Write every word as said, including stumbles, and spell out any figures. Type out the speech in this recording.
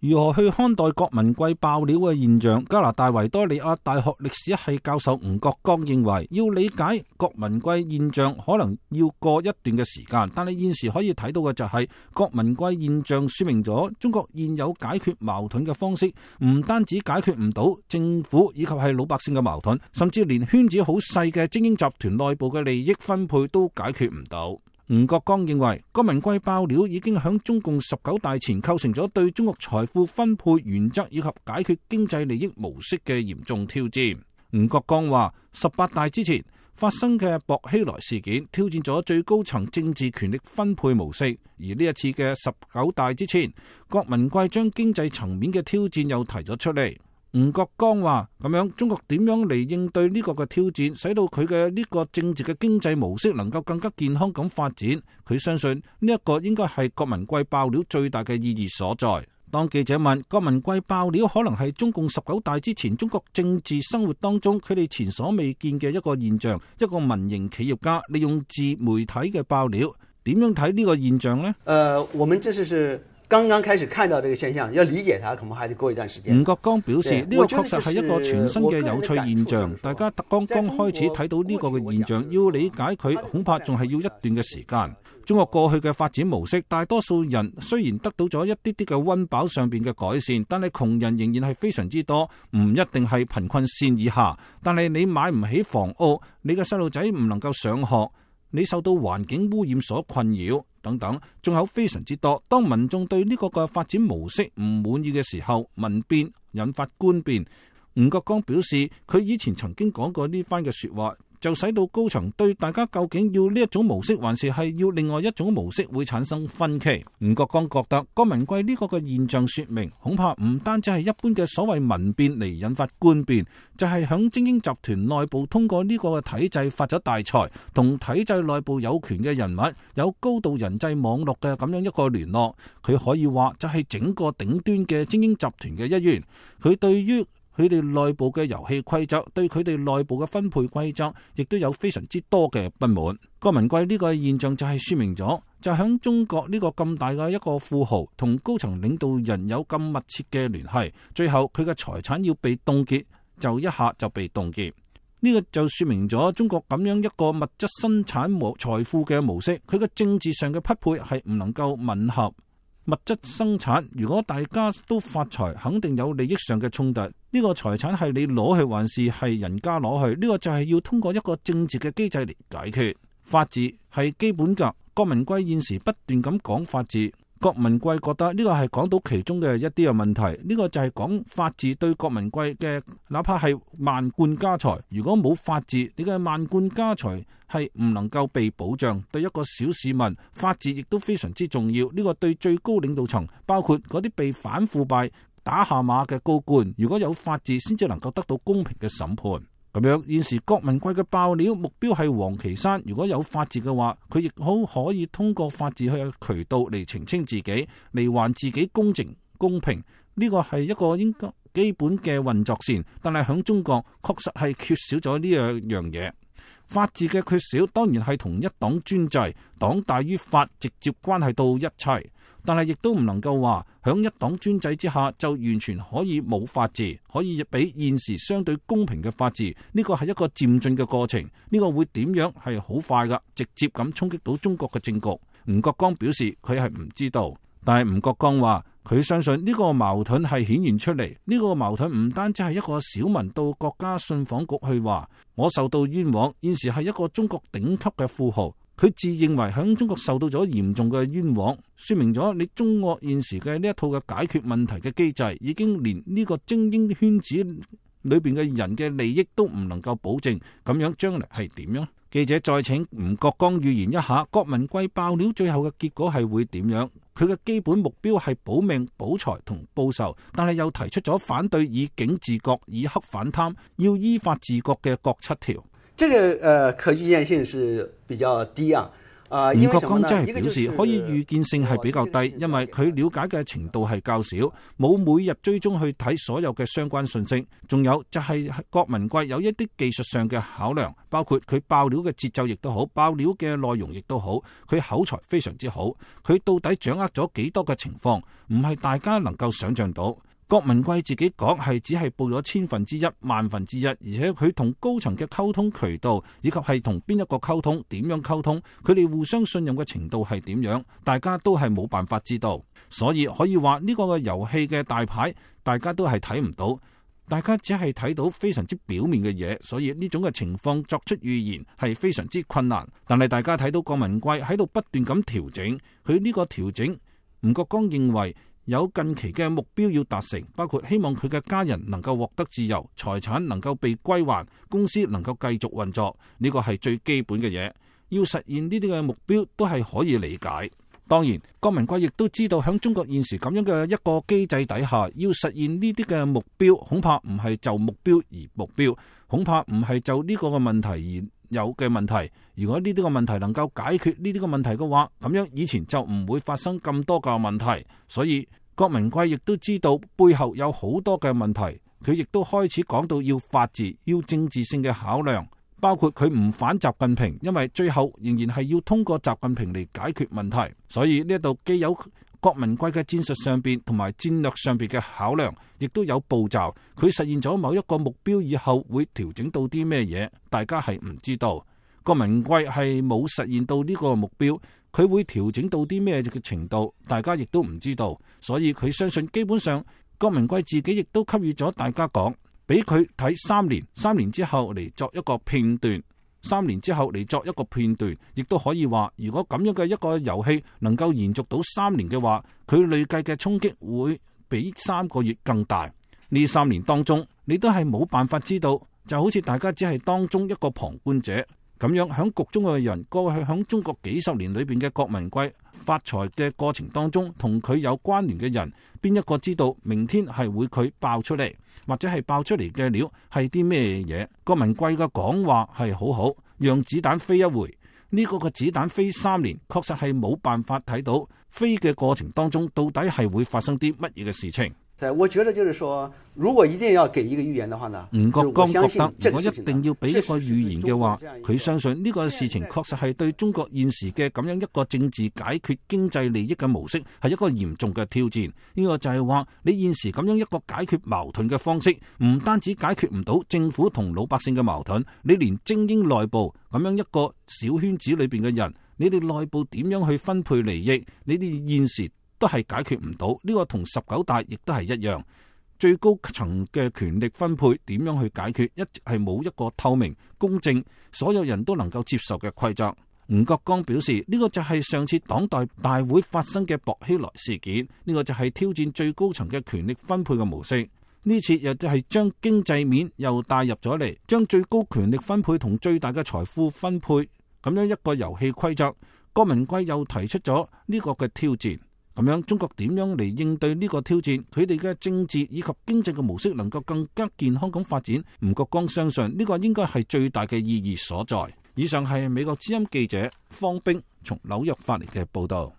如何去看待郭文貴爆料嘅現象？加拿大維多利亞大學歷史系教授吳國剛認為，要理解郭文貴現象可能要過一段嘅時間，但係現時可以睇到嘅就係郭文貴現象說明咗中國現有解決矛盾嘅方式唔單止解決唔到政府以及係老百姓嘅矛盾，甚至連圈子好細嘅精英集團內部嘅利益分配都解決唔到。吳國剛認為，郭文貴爆料已經響中共十九大前構成咗對中國財富分配原則以及解決經濟利益模式嘅嚴重挑戰。吳國剛話，十八大之前發生嘅薄熙來事件挑戰咗最高層政治權力分配模式，而呢一次嘅十九大之前，郭文貴將經濟層面嘅挑戰又提咗出嚟。吳國剛話咁樣，中國點樣嚟應對呢個嘅挑戰，使到佢嘅呢個政治嘅經濟模式能夠更加健康咁發展？佢相信呢一個應該係郭文貴爆料最大嘅意義所在。當記者問郭文貴爆料可能係中共十九大之前中國政治生活當中佢哋前所未見嘅一個現象，一個民營企業家利用自媒體嘅爆料，點樣睇呢個現象呢？呃，我們這是是剛剛開始看到這個現象，要理解它可能還得過一段時間。吳國剛表示，呢個確實係一個全新嘅有趣現象，大家剛剛開始睇到呢個嘅現象，要理解佢恐怕仲係要一段嘅時間。中國過去嘅發展模式，大多數人雖然得到咗一啲啲嘅溫飽上邊嘅改善，但係窮人仍然係非常之多，唔一定係貧困線以下。但係你買唔起房屋，你嘅細路仔唔能夠上學，你受到環境污染所困擾等等，仲有非常之多。當民眾對呢個嘅發展模式唔滿意嘅時候，民變引發官變。吳國剛表示，佢以前曾經講過呢番嘅說話，就使到高層對大家究竟要呢一種模式，還是係要另外一種模式會產生分歧。吳國剛覺得郭文貴呢個嘅現象說明，恐怕唔單止係一般嘅所謂民變嚟引發官變，就係響精英集團內部通過呢個嘅體制發咗大財，同體制內部有權嘅人物有高度人際網絡嘅咁樣一個聯絡。佢可以話就係整個頂端嘅精英集團嘅一員。佢對於佢哋內部嘅遊戲規則，對佢哋內部嘅分配規則，亦都有非常之多嘅不滿。郭文貴呢個現象就係說明咗，就響中國呢個咁大嘅一個富豪同高層領導人有咁密切嘅聯繫，最後佢嘅財產要被凍結，就一下就被凍結。呢個就說明咗中國咁樣一個物質生產模財富嘅模式，佢嘅政治上嘅匹配係唔能夠吻合。物質生產，如果大家都發財，肯定有利益上嘅衝突。呢個財產係你攞去還是係人家攞去？呢個就係要通過一個政治嘅機制嚟解決。法治係基本噶。郭文貴現時不斷咁講法治，郭文貴覺得呢個係講到其中嘅一啲嘅問題。呢個就係講法治對郭文貴嘅，哪怕係萬貫家財，如果冇法治，你嘅萬貫家財係唔能夠被保障。對一個小市民，法治亦都非常之重要。呢個對最高領導層，包括嗰啲被反腐敗打下馬嘅高官，如果有法治，先至能夠得到公平嘅審判。咁樣現時郭文貴嘅爆料目標係王岐山，如果有法治嘅話，佢亦好可以通過法治去渠道嚟澄清自己，嚟還自己公正公平。呢個係一個應該基本嘅運作線，但係響中國確實係缺少咗呢樣樣嘢。法治嘅缺少當然係同一黨專制、黨大於法直接關係到一切。但係亦都唔能夠話響一黨專制之下就完全可以冇法治，可以俾現時相對公平嘅法治。呢個係一個漸進嘅過程，呢個會點樣係好快噶，直接咁衝擊到中國嘅政局。吳國剛表示佢係唔知道，但係吳國剛話佢相信呢個矛盾係顯現出嚟。呢個矛盾唔單止係一個小民到國家信訪局去話我受到冤枉，現時係一個中國頂級嘅富豪。佢自認為喺中國受到咗嚴重嘅冤枉，說明咗你中國現時嘅呢一套嘅解決問題嘅機制，已經連呢個精英圈子裏邊嘅人嘅利益都唔能夠保證，咁樣將來係點樣？記者再請吳國剛預言一下，郭文貴爆料最後嘅結果係會點樣？佢嘅基本目標係保命、保財同報仇，但係又提出咗反對以警治國、以黑反貪、要依法治國嘅各七條。這個呃可預見性是比較低啊。吳國光真係表示可以預見性係比較低，因為佢了解嘅程度係較少，冇每日追蹤去睇所有嘅相關信息。仲有就係郭文貴有一啲技術上嘅考量，包括佢爆料嘅節奏亦都好，爆料嘅內容亦都好，佢口才非常之好。佢到底掌握咗幾多嘅情況，唔係大家能夠想象到。郭文貴自己講係只係報咗千分之一、萬分之一，而且佢同高層嘅溝通渠道以及係同邊一個溝通、點樣溝通，佢哋互相信任嘅程度係點樣，大家都係冇辦法知道。所以可以話呢個嘅遊戲嘅大牌，大家都係睇唔到，大家只係睇到非常之表面嘅嘢，所以呢種嘅情況作出預言係非常之困難。但係大家睇到郭文貴喺度不斷咁調整，佢呢個調整，吳國光認為有近期嘅目標要達成，包括希望佢嘅家人能夠獲得自由，財產能夠被歸還，公司能夠繼續運作，呢個係最基本嘅嘢。要實現呢啲嘅目標都係可以理解。當然，郭文貴亦都知道喺中國現時咁樣嘅一個機制底下，要實現呢啲嘅目標，恐怕唔係就目標而目標，恐怕唔係就呢個嘅問題而有嘅問題。如果呢啲個問題能夠解決呢啲個問題嘅話，咁樣以前就唔會發生咁多個問題。所以郭文貴亦都知道背後有好多嘅問題，佢亦都開始講到要法治、要政治性嘅考量，包括佢唔反習近平，因為最後仍然係要通過習近平嚟解決問題。所以呢度既有郭文貴嘅戰術上邊同埋戰略上邊嘅考量，亦都有步驟。佢實現咗某一個目標以後會調整到啲咩嘢，大家係唔知道。郭文貴係冇實現到呢個目標，佢會調整到啲咩嘅程度，大家亦都唔知道。所以佢相信基本上郭文貴自己亦都給予咗大家講，俾佢睇三年，三年之後嚟作一個片段，三年之後嚟作一個片段，亦都可以話，如果咁樣嘅一個遊戲能夠延續到三年嘅話，佢累計嘅衝擊會比三個月更大。呢三年當中，你都係冇辦法知道，就好似大家只係當中一個旁觀者咁樣，響局中嘅人，過去響中國幾十年裏邊嘅郭文貴發財嘅過程當中，同佢有關聯嘅人，邊一個知道明天係會佢爆出嚟，或者係爆出嚟嘅料係啲咩嘢？郭文貴嘅講話係好好，讓子彈飛一回。呢個個子彈飛三年，確實係冇辦法睇到飛嘅過程當中到底係會發生啲乜嘢嘅事情。我覺得就是說，如果一定要給一個預言的話呢，吳國光覺得如果一定要俾一個預言嘅話，佢相信呢個事情確實係對中國現時嘅咁樣一個政治解決經濟利益嘅模式係一個嚴重嘅挑戰。呢個就係話，你現時咁樣一個解決矛盾嘅方式，唔單止解決唔到政府同老百姓嘅矛盾，你連精英內部咁樣一個小圈子裏邊嘅人，你哋內部點樣去分配利益，你哋現時都係解決唔到。呢個同十九大亦都係一樣，最高層嘅權力分配點樣去解決，一直係冇一個透明、公正、所有人都能夠接受嘅規則。吳國光表示，呢個就係上次黨代大會發生嘅薄熙來事件，呢個就係挑戰最高層嘅權力分配嘅模式。呢次又就係將經濟面又帶入咗嚟，將最高權力分配同最大嘅財富分配咁樣一個遊戲規則。郭文貴又提出咗呢個嘅挑戰。咁樣中國點樣嚟應對呢個挑戰？佢哋嘅政治以及經濟嘅模式能夠更加健康咁發展？吳國光相信呢個應該係最大嘅意義所在。以上係美國之音記者方冰從紐約發嚟嘅報道。